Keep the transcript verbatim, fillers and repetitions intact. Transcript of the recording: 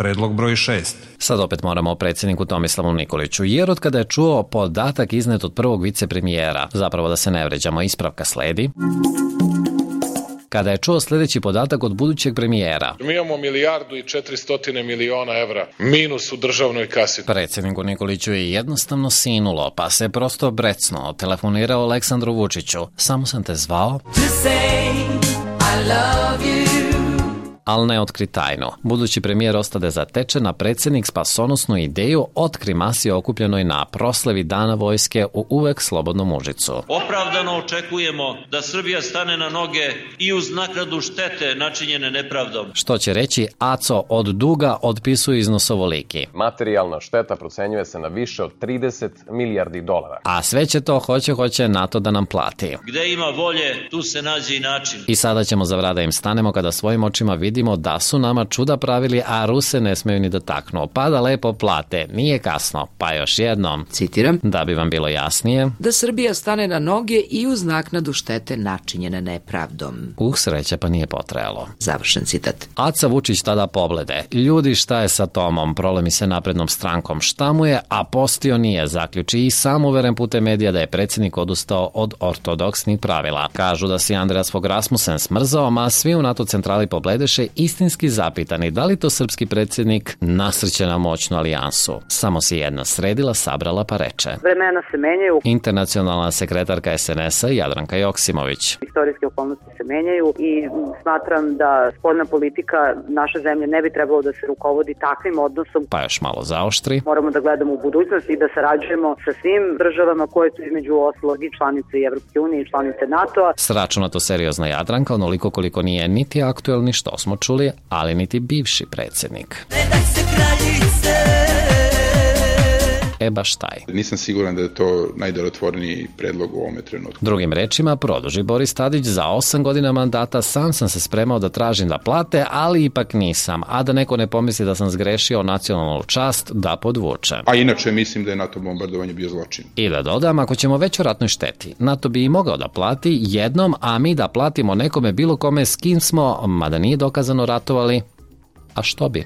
Predlog broj šest. Sad opet moramo o predsjedniku Tomislavu Nikoliću, jer od kada je čuo podatak iznet od prvog vicepremijera, zapravo da se ne vređamo, ispravka sledi, kada je čuo sljedeći podatak od budućeg premijera. Mi imamo milijardu i četiristotine miliona evra minus u državnoj kasi. Predsjedniku Nikoliću je jednostavno sinulo, pa se prosto brecnuo, telefonirao Aleksandru Vučiću. Samo sam te zvao ali ne otkri tajnu. Budući premijer ostade zatečen, a predsjednik spasonosnu ideju otkri masi okupljenoj na proslavi Dana vojske u uvek slobodnom Užicu. Opravdano očekujemo da Srbija stane na noge i uz naknadu štete načinjene nepravdom. Što će reći Aco od duga otpisuje iznos ovoliki. Materijalna šteta procenjuje se na više od trideset milijardi dolara. A sve će to hoće hoće NATO da nam plati. Gde ima volje, tu se nađe i način. I sada ćemo za vrada im stanemo kada svojim očima vidimo da su nama čuda pravili, a Ruse ne smeju ni da taknu. Pa da lepo plate, nije kasno. Pa još jednom, citiram, da bi vam bilo jasnije, da Srbija stane na noge i uz naknadu štete načinjene nepravdom. Uh, sreća pa nije potrajalo. Završen citat. Aca Vučić tada poblede. Ljudi, šta je sa Tomom? Prolemi se naprednom strankom. Šta mu je? A postio nije, zaključi i sam uveren putem medija da je predsjednik odustao od ortodoksnih pravila. Kažu da si Andreas Fogh Rasmussen smrzao, ma svi u NATO centrali pobledeše istinski zapitani da li to srpski predsjednik nasrće na moćnu alijansu. Samo si jedna sredila, sabrala pa reče. Vremena se menjaju. Internacionalna sekretarka es en es a Jadranka Joksimović. Istorijske okolnosti se menjaju i smatram da spoljna politika naše zemlje ne bi trebalo da se rukovodi takvim odnosom. Pa još malo zaoštri. Moramo da gledamo u budućnost i da sarađujemo sa svim državama koje su između ostalog i članice Evropske unije i članice NATO-a. Sračunato seriozna Jadranka, onoliko koliko nije niti aktuelni, što smo čuli, ali niti bivši predsjednik. E baš taj. Nisam siguran da je to najdelotvorniji predlog u ovome trenutku. Drugim rečima, produži Boris Tadić, za osam godina mandata sam sam se spremao da tražim da plate, ali ipak nisam. A da neko ne pomisli da sam zgrešio nacionalnu čast, da podvučem. A inače mislim da je NATO bombardovanje bio zločin. I da dodam, ako ćemo već o ratnoj šteti, NATO bi i mogao da plati jednom, a mi da platimo nekome bilo kome s kim smo, mada nije dokazano ratovali, a što bi?